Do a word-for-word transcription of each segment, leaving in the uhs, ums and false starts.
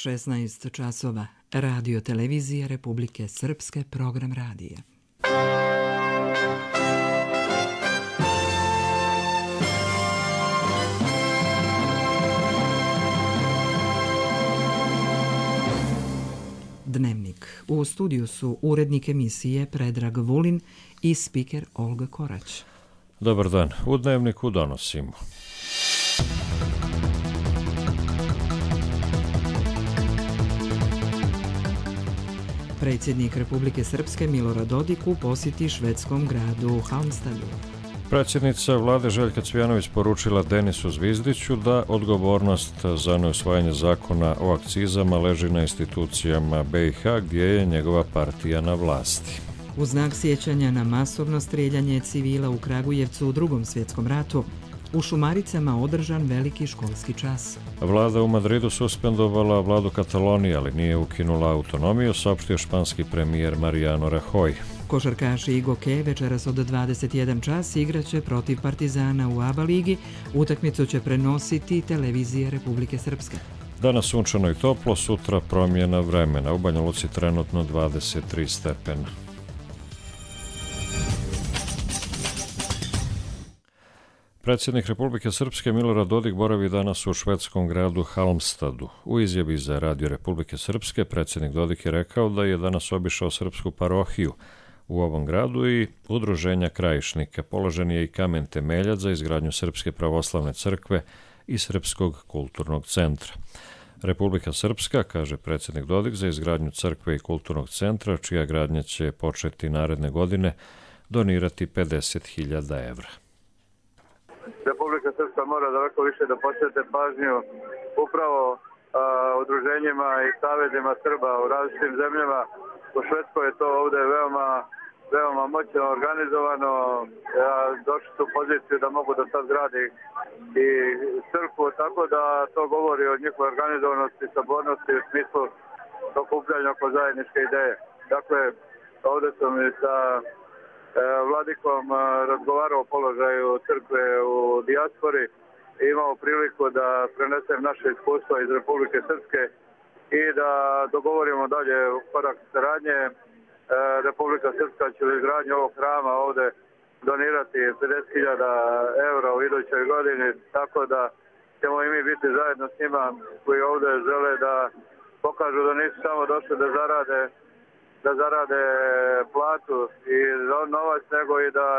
šesnaest časova. Radio televizija Republike Srpske, program radija. Dnevnik. U studiju su urednik emisije Predrag Vulin i spiker Olga Korać. Dobar dan. U Dnevniku donosimo. Predsjednik Republike Srpske Milorad Dodik u posjeti švedskom gradu Halmstadu. Predsjednica vlade Željka Cvijanović poručila Denisu Zvizdiću da odgovornost za neusvajanje zakona o akcizama leži na institucijama B i H gdje je njegova partija na vlasti. U znak sjećanja na masovno strijeljanje civila u Kragujevcu u Drugom svjetskom ratu, u Šumaricama održan veliki školski čas. Vlada u Madridu suspendovala vladu Katalonije, ali nije ukinula autonomiju, saopštio španski premijer Mariano Rajoy. Košarkaši i Goke večeras od dvadeset jedan čas igraće protiv Partizana u A B A ligi. Utakmicu će prenositi televizija Republike Srpske. Danas sunčano i toplo, sutra promjena vremena. U Banja Luci trenutno dvadeset tri stepena. Predsjednik Republike Srpske Milorad Dodik boravi danas u švedskom gradu Halmstadu. U izjavi za Radio Republike Srpske predsjednik Dodik je rekao da je danas obišao srpsku parohiju u ovom gradu i udruženja krajišnika. Položen je i kamen temeljac za izgradnju Srpske pravoslavne crkve i Srpskog kulturnog centra. Republika Srpska, kaže predsjednik Dodik, za izgradnju crkve i kulturnog centra, čija gradnja će početi naredne godine, donirati pedeset hiljada evra. Republika Srpska mora daleko više da posvete pažnju upravo a, udruženjima i savezima Srba u različitim zemljama. U Švedskoj je to ovdje veoma, veoma moćno organizovano. Ja došli su u poziciju da mogu da sad gradi i crkvu, tako da to govori o njihovoj organizovanosti i sabornosti u smislu okupljanja oko zajedničke ideje. Dakle, ovdje sam i sa vladikom razgovarao o položaju crkve u dijaspori i imao priliku da prenesem naše iskustva iz Republike Srpske i da dogovorimo dalje korak saradnje. Republika Srpska će u izgradnju ovog hrama ovdje donirati pedeset hiljada evra u idućoj godini, tako da ćemo i mi biti zajedno s njima koji ovdje žele da pokažu da nisu samo došli da zarade da zarade platu i novac, nego i da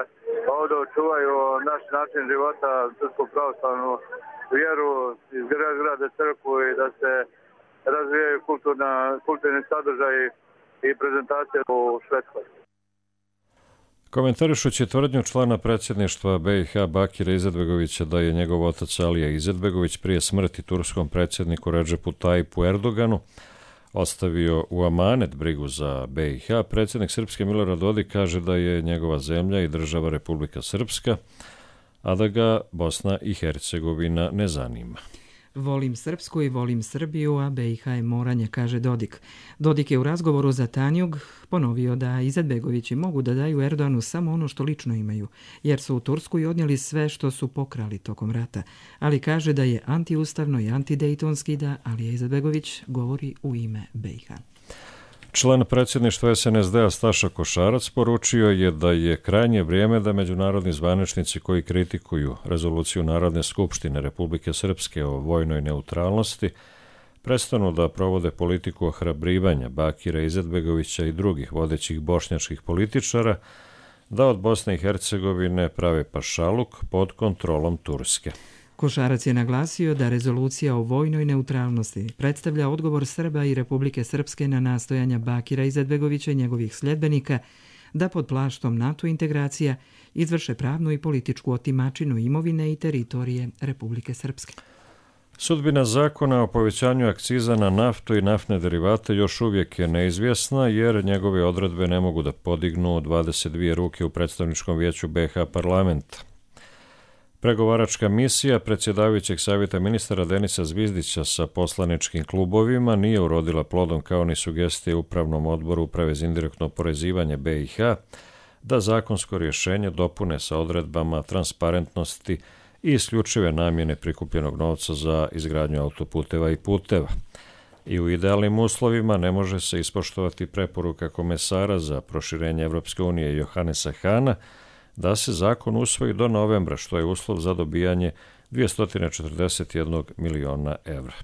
ovdje očuvaju naš način života, srpsku pravoslavnu vjeru, izgrade crkvu i da se razvijaju kulturna, kulturni sadržaj i prezentacije u Švedskoj. Komentarišući tvrdnju člana predsjedništva B i H Bakira Izetbegovića da je njegov otac Alija Izetbegović prije smrti turskom predsjedniku Redžepu Tajipu Erdoganu ostavio u amanet brigu za B i H, predsjednik Srpske Milorad Dodik kaže da je njegova zemlja i država Republika Srpska, a da ga Bosna i Hercegovina ne zanima. Volim Srpsku i volim Srbiju, a B i H je moranje, kaže Dodik. Dodik je u razgovoru za Tanjug ponovio da Izetbegovići mogu da daju Erdoganu samo ono što lično imaju, jer su u Tursku i odnijeli sve što su pokrali tokom rata. Ali kaže da je antiustavno i antidejtonski da Alija Izetbegović govori u ime B i H. Član predsjedništva S N S D-a Staša Košarac poručio je da je krajnje vrijeme da međunarodni zvaničnici koji kritikuju rezoluciju Narodne skupštine Republike Srpske o vojnoj neutralnosti prestanu da provode politiku ohrabrivanja Bakira Izetbegovića i drugih vodećih bošnjačkih političara da od Bosne i Hercegovine prave pašaluk pod kontrolom Turske. Košarac je naglasio da rezolucija o vojnoj neutralnosti predstavlja odgovor Srba i Republike Srpske na nastojanja Bakira Izetbegovića i njegovih sljedbenika da pod plaštom NATO integracija izvrše pravnu i političku otimačinu imovine i teritorije Republike Srpske. Sudbina zakona o povećanju akciza na naftu i naftne derivate još uvijek je neizvjesna jer njegove odredbe ne mogu da podignu dvadeset dvije ruke u predstavničkom vijeću B i H parlamenta. Pregovaračka misija predsjedavajućeg savjeta ministara Denisa Zvizdića sa poslaničkim klubovima nije urodila plodom kao ni sugestije Upravnom odboru Uprave za indirektno oporezivanje B i H da zakonsko rješenje dopune sa odredbama transparentnosti i isključive namjene prikupljenog novca za izgradnju autoputeva i puteva. I u idealnim uslovima ne može se ispoštovati preporuka komesara za proširenje Evropske unije Johannesa Hahna da se zakon usvoji do novembra, što je uslov za dobijanje dvjesto četrdeset jedan miliona evra.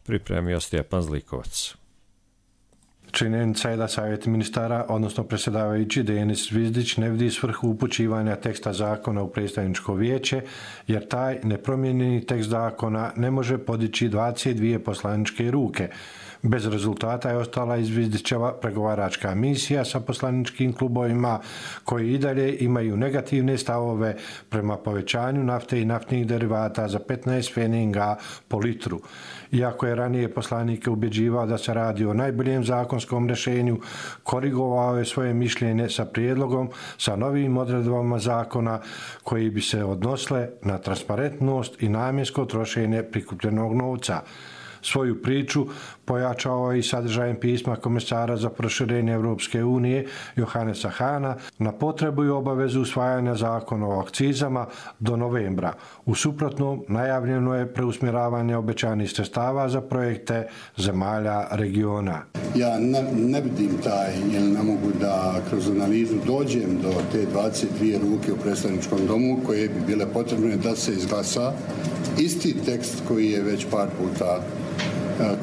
Pripremio Stjepan Zlikovac. Činjenica je da savjet ministara, odnosno predsjedavajući Denis Zvizdić, ne vidi svrhu upućivanja teksta zakona u predstavničko vijeće, jer taj nepromijenjeni tekst zakona ne može podići dvadeset dvije poslaničke ruke. Bez rezultata je ostala i Zvizdićeva pregovaračka misija sa poslaničkim klubovima koji i dalje imaju negativne stavove prema povećanju nafte i naftnih derivata za petnaest pfenninga po litru. Iako je ranije poslanike ubjeđivao da se radi o najboljem zakonskom rješenju, korigovao je svoje mišljenje sa prijedlogom sa novim odredbama zakona koji bi se odnosile na transparentnost i namjensko trošenje prikupljenog novca. Svoju priču pojačao je i sadržajem pisma komesara za proširenje Evropske unije Johannesa Hahna na potrebu i obavezu usvajanja zakona o akcizama do novembra. U suprotnom, najavljeno je preusmjeravanje obećanih sredstava za projekte zemalja regiona. Ja ne, ne vidim taj, jer ne mogu da kroz analizu dođem do te dvadeset dvije ruke u predstavničkom domu koje bi bile potrebne da se izglasa isti tekst koji je već par puta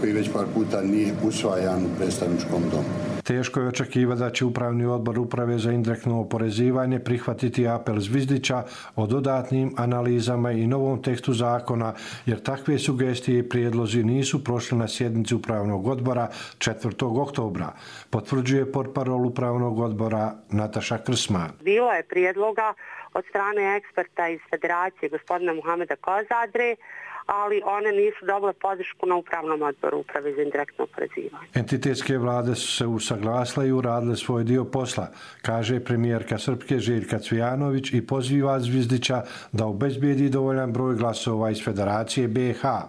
koji već par puta nije usvajan u predstavničkom domu. Teško je očekivati da će Upravni odbor Uprave za indirektno oporezivanje prihvatiti apel Zvizdića o dodatnim analizama i novom tekstu zakona, jer takve sugestije i prijedlozi nisu prošli na sjednici Upravnog odbora četvrtog oktobra, potvrđuje portparol Upravnog odbora Nataša Krsman. Bilo je prijedloga od strane eksperta iz Federacije gospodina Muhameda Kozadre, ali one nisu dobile podršku na Upravnom odboru Uprave za indirektno oporezivanje. Entitetske vlade su se usaglasile i uradile svoj dio posla, kaže premijerka Srpske Željka Cvijanović i poziva Zvizdića da obezbijedi dovoljan broj glasova iz Federacije B i H.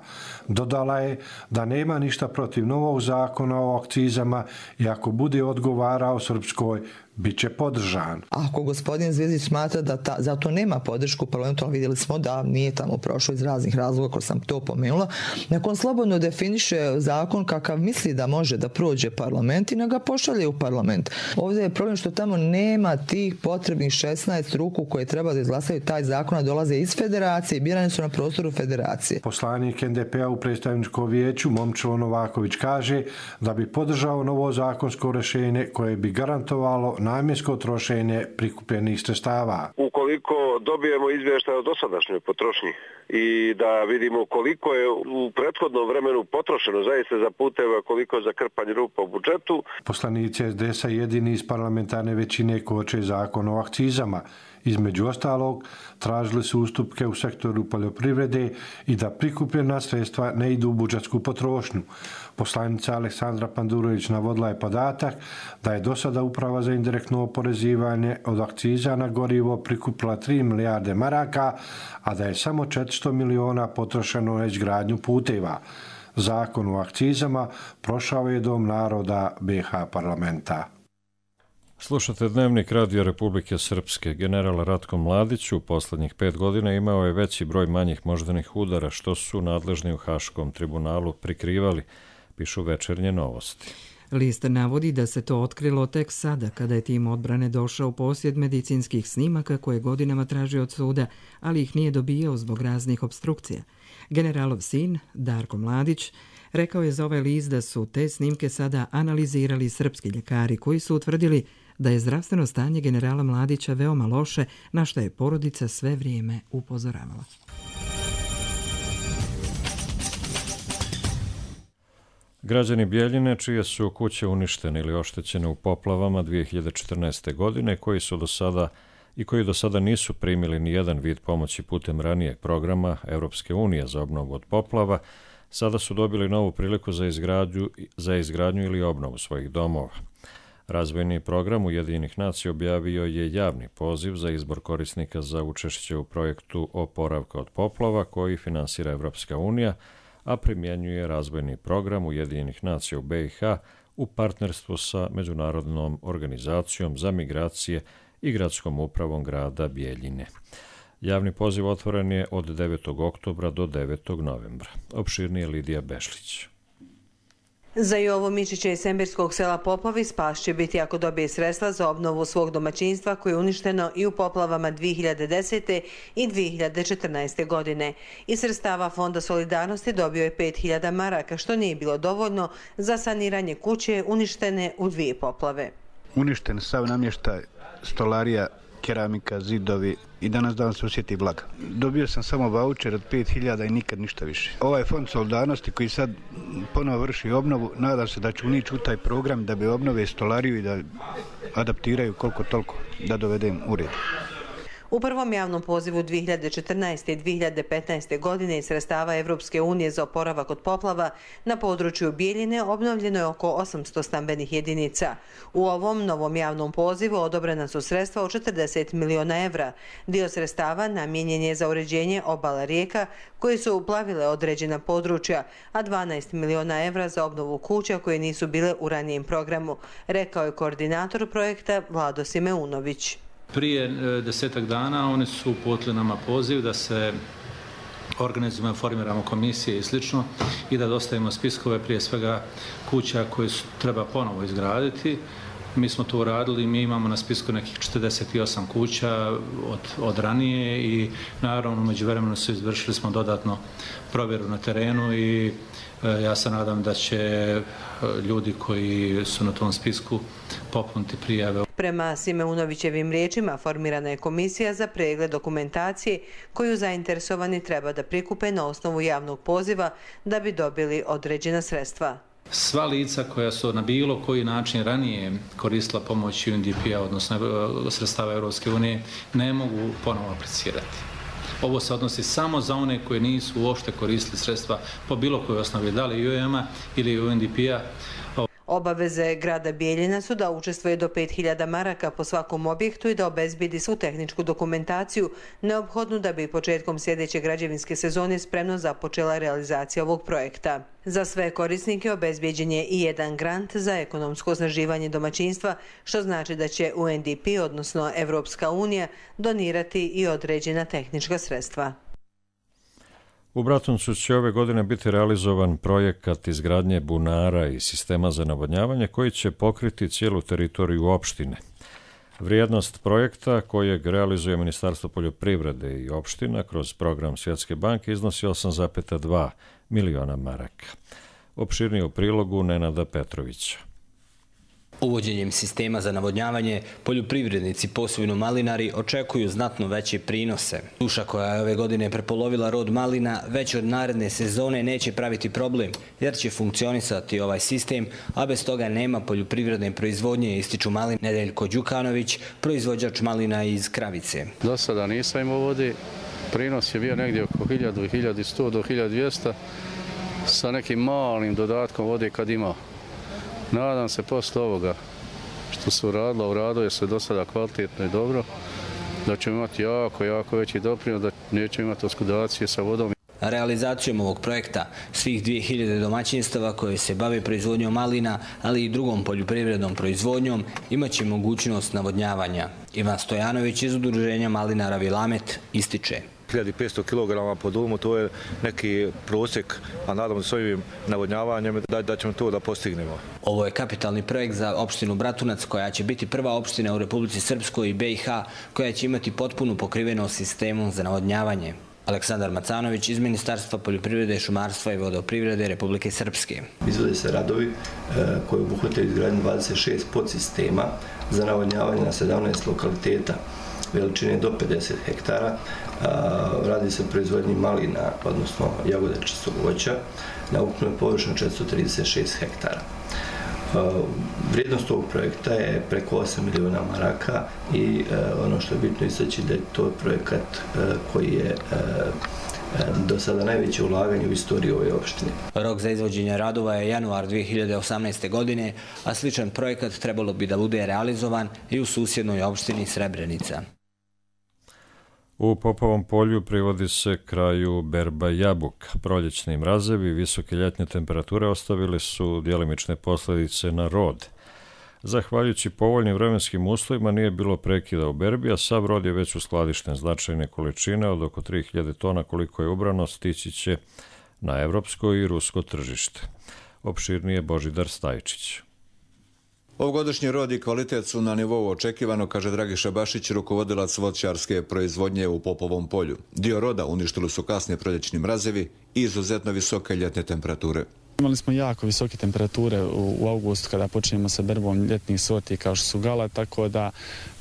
Dodala je da nema ništa protiv novog zakona o akcizama i ako bude odgovarao Srpskoj, bit će podržan. Ako gospodin Zvizdić smatra da ta, za to nema podršku u parlamentu, ali vidjeli smo da nije tamo prošlo iz raznih razloga, ako sam to pomenula, nakon slobodno definiše zakon kakav misli da može da prođe parlament i na ga pošalje u parlament. Ovdje je problem što tamo nema tih potrebnih šesnaest ruku koje treba da izglasaju taj zakon, a dolaze iz federacije i birani su na prostoru federacije. Poslanik N D P-a u predstavničkom vijeću Momčilo Novaković kaže da bi podržao novo zakonsko rješenje koje bi garantovalo namjensko trošenje prikupljenih sredstava. Ukoliko dobijemo izvještaj o dosadašnjoj potrošnji i da vidimo koliko je u prethodnom vremenu potrošeno zaista za puteva, koliko za krpanje rupa u budžetu. Poslanici S D S-a jedini iz parlamentarne većine koče zakon o akcizama. Između ostalog, tražili su ustupke u sektoru poljoprivrede i da prikupljena sredstva ne idu u budžetsku potrošnju. Poslanica Aleksandra Pandurović navodila je podatak da je do sada Uprava za indirektno oporezivanje od akciza na gorivo prikupila tri milijarde maraka, a da je samo četiristo miliona potrošeno na izgradnju puteva. Zakon o akcizama prošao je Dom naroda B i H parlamenta. Slušate Dnevnik Radio Republike Srpske. General Ratko Mladić u posljednjih pet godina imao je veći broj manjih moždanih udara, što su nadležni u Haškom tribunalu prikrivali, pišu Večernje novosti. List navodi da se to otkrilo tek sada, kada je tim odbrane došao u posjed medicinskih snimaka koje godinama traži od suda, ali ih nije dobijao zbog raznih obstrukcija. Generalov sin, Darko Mladić, rekao je za ovaj list da su te snimke sada analizirali srpski ljekari koji su utvrdili da je zdravstveno stanje generala Mladića veoma loše, na što je porodica sve vrijeme upozoravala. Građani Bjeljine, čije su kuće uništene ili oštećene u poplavama dvije hiljade četrnaeste. godine, koji su do sada i koji do sada nisu primili ni jedan vid pomoći putem ranijeg programa Evropske unije za obnovu od poplava, sada su dobili novu priliku za izgradnju, za izgradnju ili obnovu svojih domova. Razvojni program Ujedinjenih nacija objavio je javni poziv za izbor korisnika za učešće u projektu oporavka od poplava koji finansira Evropska unija, a primjenjuje razvojni program Ujedinjenih nacija u B i H u partnerstvu sa Međunarodnom organizacijom za migracije i gradskom upravom grada Bjeljine. Javni poziv otvoren je od devetog oktobra do devetog novembra. Opširnije Lidija Bešlić. Građani Bjeljine, čije su kuće uništene ili oštećene u poplavama dvije hiljade četrnaeste. godine, koji su do sada nisu primili ni jedan vid pomoći putem ranijeg programa Evropske unije za obnovu od poplava, sada su dobili novu priliku za izgradnju ili obnovu svojih domova. Razvojni program Ujedinjenih nacija objavio je javni poziv za učešće u projektu oporavka od poplava koji finansira Evropska unija, a primjenjuje razvojni program Ujedinjenih nacija u B i H u partnerstvu sa Međunarodnom organizacijom za migracije i gradskom upravom grada Bjeljine. Javni poziv otvoren je od devetog oktobra do devetog novembra. Za Jovo Mičića iz Sembirskog sela Popovi spas će biti ako dobije sredstva za obnovu svog domaćinstva koje je uništeno i u poplavama dvije hiljade desete. i dvije hiljade četrnaeste. godine. Iz sredstava Fonda solidarnosti dobio je pet hiljada maraka, što nije bilo dovoljno za saniranje kuće uništene u dvije poplave. Uništen sav namještaj, stolarija, keramika, zidovi i danas dan se osjeti vlaga. Dobio sam samo vaučer od pet hiljada i nikad ništa više. Ovaj fond solidarnosti koji sad ponovo vrši obnovu, nadam se da će unići u taj program da bi obnove stolariju i da adaptiraju koliko toliko da dovedem u red. U prvom javnom pozivu dvije hiljade četrnaeste. i dvije hiljade petnaeste. godine iz sredstava Evropske unije za oporavak od poplava na području Bijeljine obnovljeno je oko osamsto stambenih jedinica. U ovom novom javnom pozivu odobrena su sredstva od četrdeset miliona evra. Dio sredstava namijenjen je za uređenje obala rijeka koje su uplavile određena područja, a dvanaest miliona evra za obnovu kuća koje nisu bile u ranijem programu, rekao je koordinator projekta Vlado Simeunović. Prije desetak dana oni su uputili nama poziv da se organizujemo, formiramo komisije i slično i da dostavimo spiskove prije svega kuća koje su, treba ponovo izgraditi. Mi smo to uradili, mi imamo na spisku nekih četrdeset osam kuća od, od ranije i naravno u međuvremenu su izvršili smo dodatno provjeru na terenu i e, ja se nadam da će ljudi koji su na tom spisku popuniti prijave. Prema Simeunovićevim riječima formirana je komisija za pregled dokumentacije koju zainteresovani treba da prikupe na osnovu javnog poziva da bi dobili određena sredstva. Sva lica koja su na bilo koji način ranije koristila pomoć U N D P-a, odnosno sredstava Europske unije, ne mogu ponovo aplicirati. Ovo se odnosi samo za one koje nisu uopšte koristili sredstva po bilo kojoj osnovi, da li U E M-a ili U N D P-a. Obaveze grada Bijeljina su da učestvuje do pet hiljada maraka po svakom objektu i da obezbidi svu tehničku dokumentaciju neophodnu da bi početkom sljedeće građevinske sezone spremno započela realizacija ovog projekta. Za sve korisnike obezbijeđen je i jedan grant za ekonomsko osnaživanje domaćinstva, što znači da će U N D P, odnosno Evropska unija, donirati i određena tehnička sredstva. U Bratuncu će ove godine biti realizovan projekat izgradnje bunara i sistema za navodnjavanje koji će pokriti cijelu teritoriju opštine. Vrijednost projekta kojeg realizuje Ministarstvo poljoprivrede i opština kroz program Svjetske banke iznosi osam zarez dva miliona maraka. Opširnije u prilogu Nenada Petrovića. Uvođenjem sistema za navodnjavanje, poljoprivrednici, posebno malinari, očekuju znatno veće prinose. Suša koja je ove godine prepolovila rod malina već od naredne sezone neće praviti problem, jer će funkcionisati ovaj sistem, a bez toga nema poljoprivredne proizvodnje, ističu Malin Nedeljko Đukanović, proizvođač malina iz Kravice. Do sada nisam imao vodi, prinos je bio negdje oko hiljadu, hiljadu sto do hiljadu dvjesto sa nekim malim dodatkom vode kad imao. Nadam se posle ovoga što se uradilo, uradilo je se do sada kvalitetno i dobro, da ćemo imati jako, jako veći doprinos, da nećemo imati oskudacije sa vodom. Realizacijom ovog projekta svih dvije hiljade domaćinstava koje se bave proizvodnjom malina, ali i drugom poljoprivrednom proizvodnjom, imaće mogućnost navodnjavanja. Ivan Stojanović iz udruženja malinara Vilamet ističe. hiljadu petsto kilograma po dulmu, to je neki prosjek, a nadam se s ovim navodnjavanjem da, da ćemo to da postignemo. Ovo je kapitalni projekt za opštinu Bratunac, koja će biti prva opština u Republici Srpskoj i B i H koja će imati potpunu pokrivenost sistemom za navodnjavanje. Aleksandar Macanović iz Ministarstva poljoprivrede, šumarstva i vodoprivrede Republike Srpske. Izvode se radovi koji obuhvataju izgradnju dvadeset šest podsistema za navodnjavanje na sedamnaest lokaliteta veličine do pedeset hektara. Radi se o proizvodnji malina, odnosno jagodačastog voća, na ukupnoj površini četiristo trideset šest hektara. Vrijednost ovog projekta je preko osam miliona maraka i ono što je bitno istaći da je to projekat koji je do sada najveće ulaganje u istoriji ove opštine. Rok za izvođenje radova je januar dvije hiljade osamnaeste. godine, a sličan projekat trebalo bi da bude realizovan i u susjednoj opštini Srebrenica. U Popovom polju privodi se kraju berba jabuka. Proljećni mrazevi i visoke ljetne temperature ostavili su djelimične posljedice na rod. Zahvaljujući povoljnim vremenskim uslovima nije bilo prekida u berbi, a sav rod je već uskladišten. Značajne količine od oko tri hiljade tona koliko je ubrano stići će na evropsko i rusko tržište. Opširnije Božidar Stajčić. Ovogodišnji rod i kvalitet su na nivou očekivano, kaže Dragiša Bašić, rukovodilac voćarske proizvodnje u Popovom polju. Dio roda uništili su kasni proljećni mrazevi i izuzetno visoke ljetne temperature. Imali smo jako visoke temperature u, u augustu kada počinjemo sa berbom ljetnih sorti kao što su gala, tako da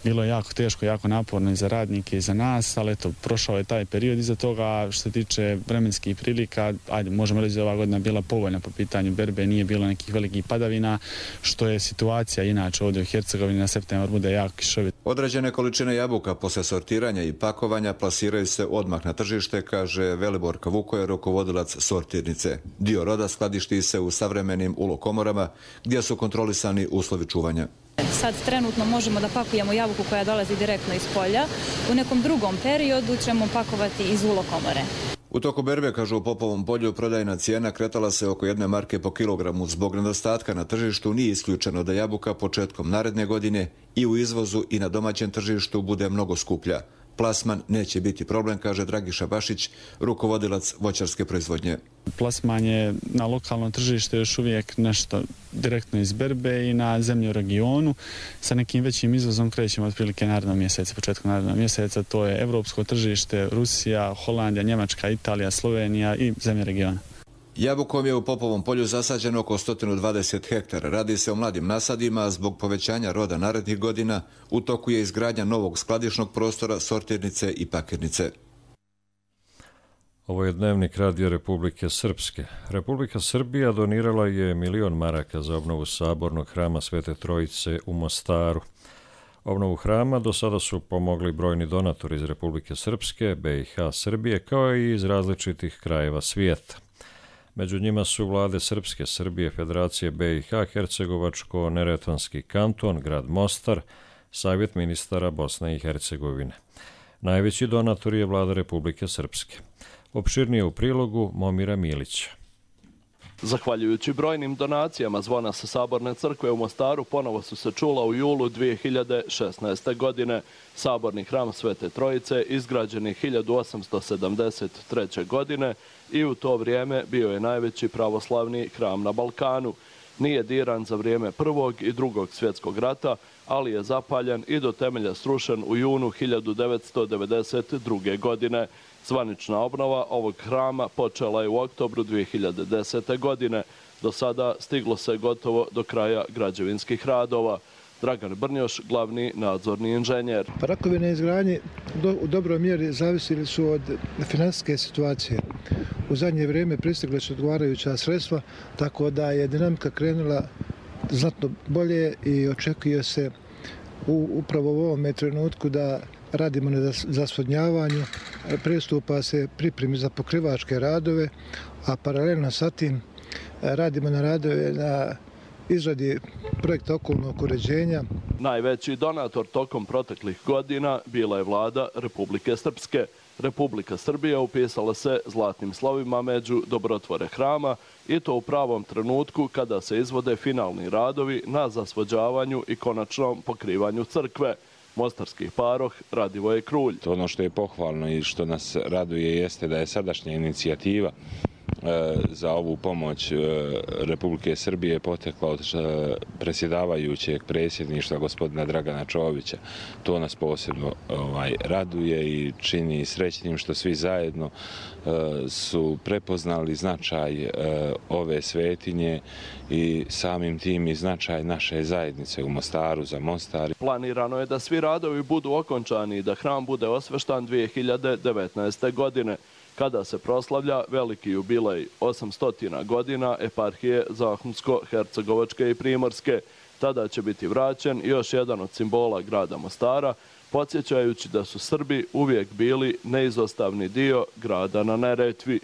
bilo je jako teško, jako naporno i za radnike i za nas, ali eto, prošao je taj period iza toga. Što se tiče vremenskih prilika, ajde, možemo reći da ova godina bila povoljna po pitanju berbe, nije bilo nekih velikih padavina, što je situacija inače ovdje u Hercegovini, na septembar bude jako kišovit. Određene količine jabuka posle sortiranja i pakovanja plasiraju se odmah na tržište, kaže Veliborka Vukoje, rukovodilac sortirnice. Dio roda skladišti se u savremenim ulokomorama gdje su kontrolisani uslovi čuvanja. Sad trenutno možemo da pakujemo jabuku koja dolazi direktno iz polja. U nekom drugom periodu ćemo pakovati iz ulokomore. U toku berbe, kažu u Popovom polju, prodajna cijena kretala se oko jedne marke po kilogramu. Zbog nedostatka na tržištu nije isključeno da jabuka početkom naredne godine i u izvozu i na domaćem tržištu bude mnogo skuplja. Plasman neće biti problem, kaže Dragiša Bašić, rukovodilac voćarske proizvodnje. Plasman je na lokalno tržište još uvijek nešto direktno iz berbe i na zemlji u regionu. Sa nekim većim izvozom krećemo otprilike narednog mjeseca, početkom narednog mjeseca. To je evropsko tržište, Rusija, Holandija, Njemačka, Italija, Slovenija i zemlje regiona. Jabukom je u Popovom polju zasađeno oko sto dvadeset hektara. Radi se o mladim nasadima, a zbog povećanja roda narednih godina u toku je izgradnja novog skladišnog prostora, sortirnice i pakirnice. Ovo je dnevnik Radio Republike Srpske. Republika Srbija donirala je milion maraka za obnovu sabornog hrama Svete Trojice u Mostaru. Obnovu hrama do sada su pomogli brojni donatori iz Republike Srpske, B i H Srbije, kao i iz različitih krajeva svijeta. Među njima su vlade Srpske, Srbije, Federacije B i H, Hercegovačko-Neretvanski kanton, grad Mostar, Savjet ministara Bosne i Hercegovine. Najveći donator je vlada Republike Srpske. Opširnije u prilogu Momira Milića. Zahvaljujući brojnim donacijama zvona sa Saborne crkve u Mostaru ponovo su se čula u julu dvije hiljade šesnaeste. godine. Saborni hram Svete Trojice izgrađen je hiljadu osamsto sedamdeset treće. godine i u to vrijeme bio je najveći pravoslavni hram na Balkanu. Nije diran za vrijeme Prvog i Drugog svjetskog rata, ali je zapaljen i do temelja srušen u junu hiljadu devetsto devedeset druge. godine. Zvanična obnova ovog hrama počela je u oktobru dvije hiljade desete. godine. Do sada stiglo se gotovo do kraja građevinskih radova. Dragan Brnjoš, glavni nadzorni inženjer. Rakovi na izgradnji u dobroj mjeri zavisili su od finansijske situacije. U zadnje vrijeme pristigle su odgovarajuća sredstva, tako da je dinamika krenula znatno bolje i očekuje se u, upravo u ovom trenutku da radimo na zasvodnjavanju, pristupa se pripremi za pokrivačke radove, a paralelno sa tim radimo na radove na izradi projekta okolnog uređenja. Najveći donator tokom proteklih godina bila je vlada Republike Srpske. Republika Srbija upisala se zlatnim slovima među dobrotvore hrama i to u pravom trenutku kada se izvode finalni radovi na zasvođavanju i konačnom pokrivanju crkve. Mostarski paroh Radivoje Krulj. Ono što je pohvalno i što nas raduje jeste da je sadašnja inicijativa za ovu pomoć Republike Srbije potekla od predsjedavajućeg predsjedništva gospodina Dragana Čovića. To nas posebno ovaj, raduje i čini srećnim što svi zajedno su prepoznali značaj ove svetinje i samim tim i značaj naše zajednice u Mostaru za Mostar. Planirano je da svi radovi budu okončani i da hram bude osveštan dvije hiljade devetnaeste. godine. Kada se proslavlja veliki jubilej osamsto godina eparhije Zahumsko-Hercegovačke i Primorske. Tada će biti vraćen još jedan od simbola grada Mostara, podsjećajući da su Srbi uvijek bili neizostavni dio grada na Neretvi.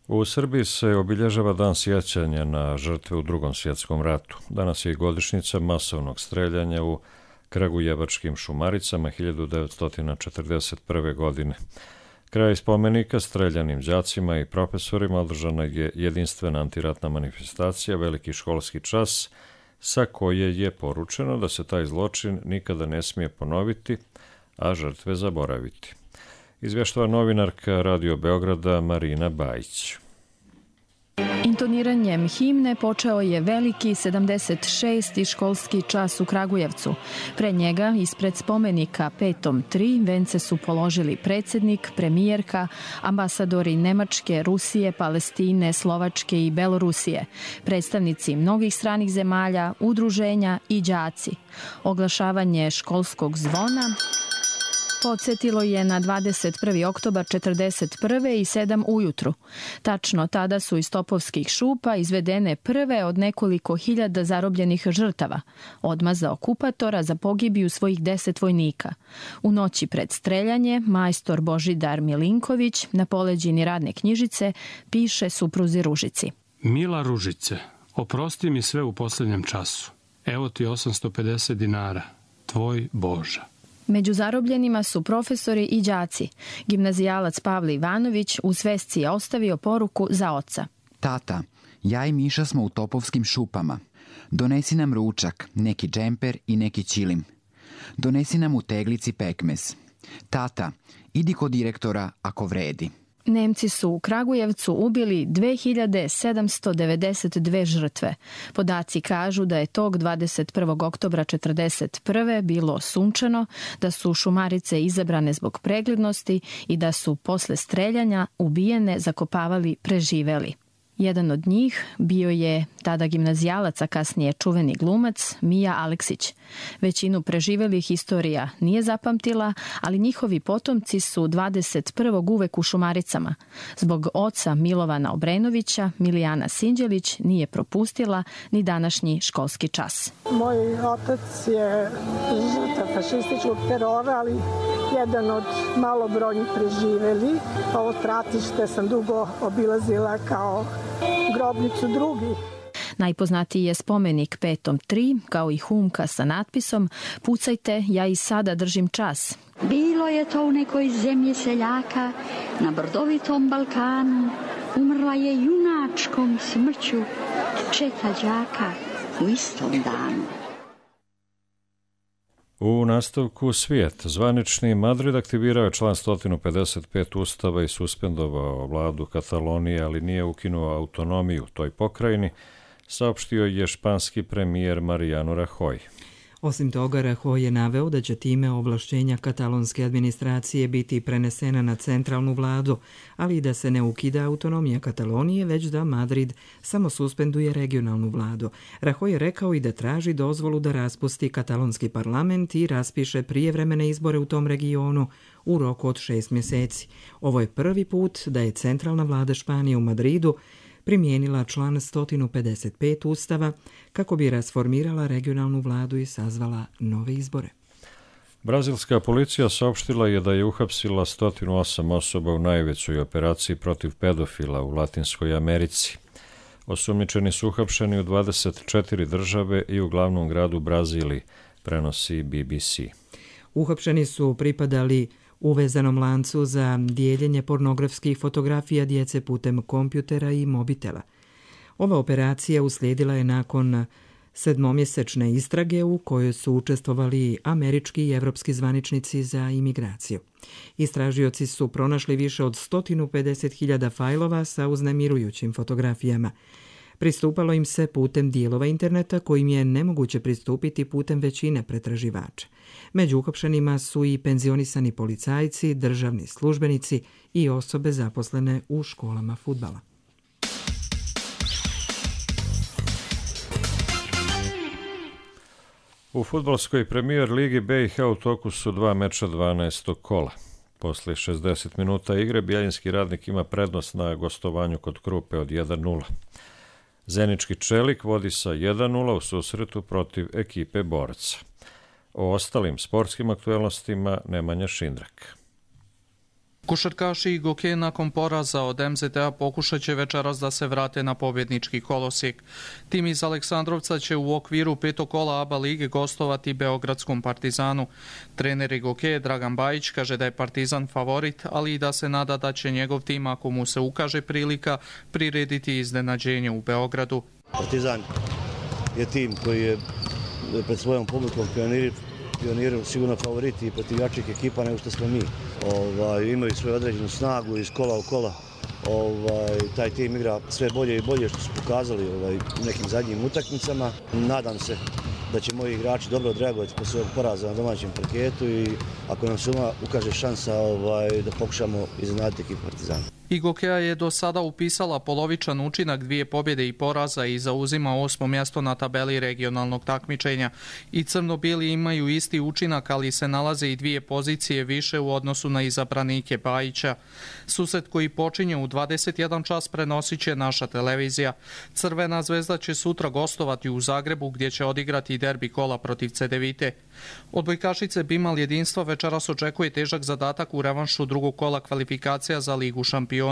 U Srbiji se obilježava dan sjećanja na žrtve u Drugom svjetskom ratu. Danas je i godišnjica masovnog streljanja u Kragujevačkim Šumaricama hiljadu devetsto četrdeset prve. godine. Kraj spomenika streljanim đacima i profesorima održana je jedinstvena antiratna manifestacija, veliki školski čas, sa koje je poručeno da se taj zločin nikada ne smije ponoviti, a žrtve zaboraviti. Izvještava novinarka Radio Beograda Marina Bajić. Intoniranjem himne počeo je veliki sedamdeset šesti školski čas u Kragujevcu. Pre njega, ispred spomenika Petom tri, vence su položili predsjednik, premijerka, ambasadori Nemačke, Rusije, Palestine, Slovačke i Belorusije, predstavnici mnogih stranih zemalja, udruženja i đaci. Oglašavanje školskog zvona podsjetilo je na dvadeset prvi oktobar četrdeset prve i sedam ujutru. Tačno tada su iz topovskih šupa izvedene prve od nekoliko hiljada zarobljenih žrtava, odmaza okupatora za pogibiju svojih deset vojnika. U noći pred streljanje majstor Božidar Milinković na poleđini radne knjižice piše supruzi Ružici. Mila Ružice, oprosti mi sve u posljednjem času. Evo ti osamsto pedeset dinara. Tvoj Boža. Među zarobljenima su profesori i đaci. Gimnazijalac Pavle Ivanović u svesci je ostavio poruku za oca. Tata, ja i Miša smo u topovskim šupama. Donesi nam ručak, neki džemper i neki ćilim. Donesi nam u teglici pekmez. Tata, idi kod direktora ako vredi. Nemci su u Kragujevcu ubili dve hiljade sedamsto devedeset dve žrtve. Podaci kažu da je tog dvadeset prvog oktobra četrdeset prve bilo sunčano, da su šumarice izabrane zbog preglednosti i da su posle streljanja ubijene zakopavali preživeli. Jedan od njih bio je tada gimnazijalac, a kasnije čuveni glumac Mija Aleksić. Većinu preživelih historija nije zapamtila, ali njihovi potomci su dvadeset prvog uvek u Šumaricama. Zbog oca Milovana Obrenovića, Milijana Sinđelić nije propustila ni današnji školski čas. Moj otac je žrtav fašističkog terora, ali jedan od malobrojnih preživeli. Ovo stratište sam dugo obilazila kao grobnicu drugih. Najpoznatiji je spomenik Petom tri, kao i humka sa natpisom Pucajte, ja i sada držim čas. Bilo je to u nekoj zemlji seljaka, na brdovitom Balkanu, umrla je junačkom smrću četa đaka u istom danu. U nastavku svijet. Zvanični Madrid aktivirao je član sto pedeset pet Ustava i suspendovao vladu Katalonije, ali nije ukinuo autonomiju toj pokrajini, saopštio je španski premijer Mariano Rajoy. Osim toga, Rajoy je naveo da će time ovlašćenja katalonske administracije biti prenesena na centralnu vladu, ali i da se ne ukida autonomija Katalonije, već da Madrid samo suspenduje regionalnu vladu. Rajoy je rekao i da traži dozvolu da raspusti katalonski parlament i raspiše prijevremene izbore u tom regionu u roku od šest mjeseci. Ovo je prvi put da je centralna vlada Španije u Madridu primijenila član sto pedeset pet Ustava kako bi rasformirala regionalnu vladu i sazvala nove izbore. Brazilska policija saopštila je da je uhapsila sto osam osoba u najvećoj operaciji protiv pedofila u Latinskoj Americi. Osumnjičeni su uhapšeni u dvadeset četiri države i u glavnom gradu Braziliji, prenosi B B C. Uhapšeni su pripadali uvezanom lancu za dijeljenje pornografskih fotografija djece putem kompjutera i mobitela. Ova operacija uslijedila je nakon sedmomjesečne istrage u kojoj su učestvovali američki i evropski zvaničnici za imigraciju. Istražioci su pronašli više od sto pedeset hiljada fajlova sa uznemirujućim fotografijama. Pristupalo im se putem dijelova interneta kojim je nemoguće pristupiti putem većine pretraživača. Među uhapšenima su i penzionisani policajci, državni službenici i osobe zaposlene u školama fudbala. U fudbalskoj premijer ligi B i H u toku su dva meča dvanaestog kola. Posle šezdeset minuta igre Bjeljinski Radnik ima prednost na gostovanju kod Krupe od jedan nula. Zenički Čelik vodi sa jedan nula u susretu protiv ekipe Boraca. O ostalim sportskim aktuelnostima Nemanja Šindrak. Košarkaši i Goke nakon poraza od M Z T A pokušat će večeras da se vrate na pobjednički kolosijek. Tim iz Aleksandrovca će u okviru petog kola A B A lige gostovati Beogradskom Partizanu. Trener Goke Dragan Bajić kaže da je Partizan favorit, ali i da se nada da će njegov tim, ako mu se ukaže prilika, prirediti iznenađenje u Beogradu. Partizan je tim koji je pred svojom publikom pionirao sigurno favoriti i protiv jačih ekipa nego što smo mi. ovaj, imaju svoju određenu snagu iz kola u kola. Ovaj, taj tim igra sve bolje i bolje što su pokazali ovaj, u nekim zadnjim utakmicama. Nadam se da će moji igrači dobro odreagovati po svojeg poraza na domaćem parketu i ako nam se ukaže šansa ovaj, da pokušamo iznenaditi ekipu Partizana. Igokeja je do sada upisala polovičan učinak, dvije pobjede i poraza i zauzima osmo mjesto na tabeli regionalnog takmičenja. I crno-bijeli imaju isti učinak, ali se nalaze i dvije pozicije više u odnosu na izabranike Bajića. Susret koji počinje u dvadeset jedan čas prenosit će naša televizija. Crvena zvezda će sutra gostovati u Zagrebu gdje će odigrati derbi kola protiv Cedevite. Odbojkašice Bimal jedinstva večeras očekuje težak zadatak u revanšu drugog kola kvalifikacija za Ligu šampiona.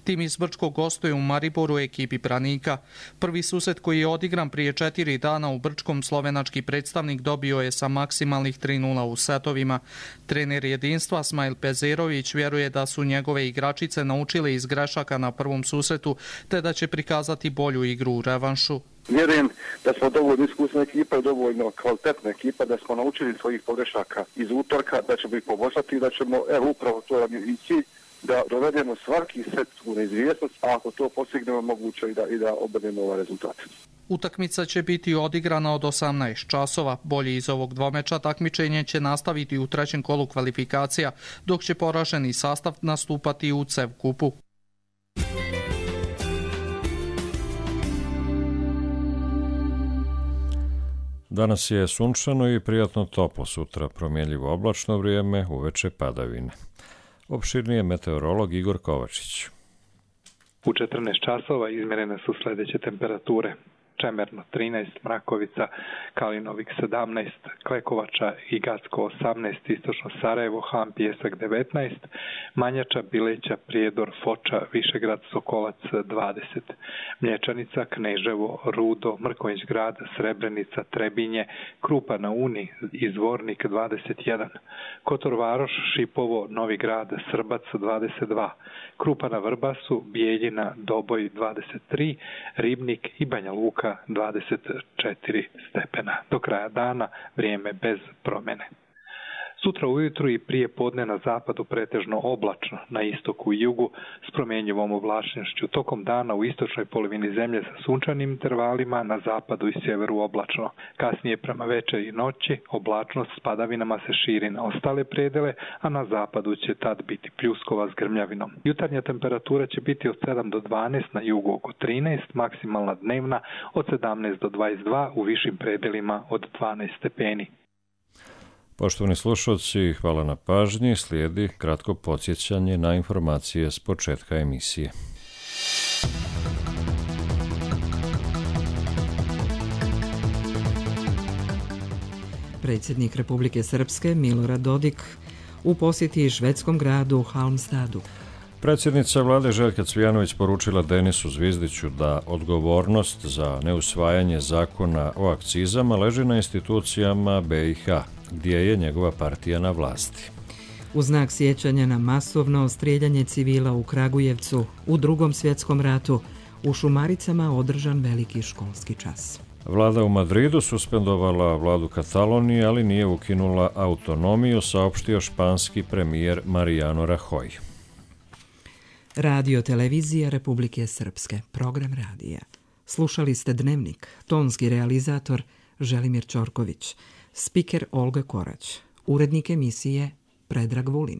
Tim iz Brčkog gostuje u Mariboru ekipi Branika. Prvi susret koji je odigran prije četiri dana u Brčkom slovenački predstavnik dobio je sa maksimalnih tri nula u setovima. Trener jedinstva Smajl Pezerović vjeruje da su njegove igračice naučile iz grešaka na prvom susretu te da će prikazati bolju igru u revanšu. Vjerujem da smo dovoljno iskusna ekipa i dovoljno kvalitetna ekipa, da smo naučili svojih pogrešaka iz utorka, da ćemo ih poboljšati i da ćemo, evo upravo to je i cilj, da dovedemo svaki set u neizvjesnost, a ako to postignemo moguće i da, i da obrnemo ovaj rezultat. Utakmica će biti odigrana od osamnaest časova. Bolji iz ovog dvomeča takmičenje će nastaviti u trećem kolu kvalifikacija, dok će poraženi sastav nastupati u C E V kupu. Danas je sunčano i prijatno toplo, sutra promjenljivo oblačno vrijeme, uveče padavine. Opširnije meteorolog Igor Kovačić. U četrnaest časova izmjerene su sljedeće temperature. Čemerno trinaest, Mrakovica, Kalinovik sedamnaest, Klekovača i Gacko osamnaest, Istočno Sarajevo, Han, Pijesak devetnaest, Manjača, Bileća, Prijedor, Foča, Višegrad, Sokolac dvadeset, Mlječanica, Kneževo, Rudo, Mrkonjić Grad, Srebrenica, Trebinje, Krupa na Uni i Zvornik dvadeset jedan, Kotor Varoš, Šipovo, Novi Grad, Srbac dvadeset dva, Krupa na Vrbasu, Bijeljina, Doboj dvadeset tri, Ribnik i Banja Luka dvadeset četiri stepena. Do kraja dana vrijeme bez promjene. Sutra ujutru i prije podne na zapadu pretežno oblačno, na istoku i jugu s promjenjivom oblačnošću. Tokom dana u istočnoj polovini zemlje sa sunčanim intervalima, na zapadu i sjeveru oblačno. Kasnije prema večeri i noći oblačnost s padavinama se širi na ostale predele, a na zapadu će tad biti pljuskova s grmljavinom. Jutarnja temperatura će biti od sedam do dvanaest, na jugu oko trinaest, maksimalna dnevna od sedamnaest do dvadeset dva, u višim predelima od dvanaest stepeni. Poštovani slušalci, hvala na pažnji. Slijedi kratko podsjećanje na informacije s početka emisije. Predsjednik Republike Srpske Milorad Dodik u posjeti švedskom gradu Halmstadu. Predsjednica vlade Željka Cvijanović poručila Denisu Zvizdiću da odgovornost za neusvajanje zakona o akcizama leži na institucijama B i H, gdje je njegova partija na vlasti. U znak sjećanja na masovno strijeljanje civila u Kragujevcu u Drugom svjetskom ratu, u Šumaricama održan veliki školski čas. Vlada u Madridu suspendovala vladu Katalonije, ali nije ukinula autonomiju, saopštio španski premijer Mariano Rajoy. Radio televizija Republike Srpske, program radija. Slušali ste Dnevnik, tonski realizator Želimir Ćorković, spiker Olga Korać, urednik emisije Predrag Vulin.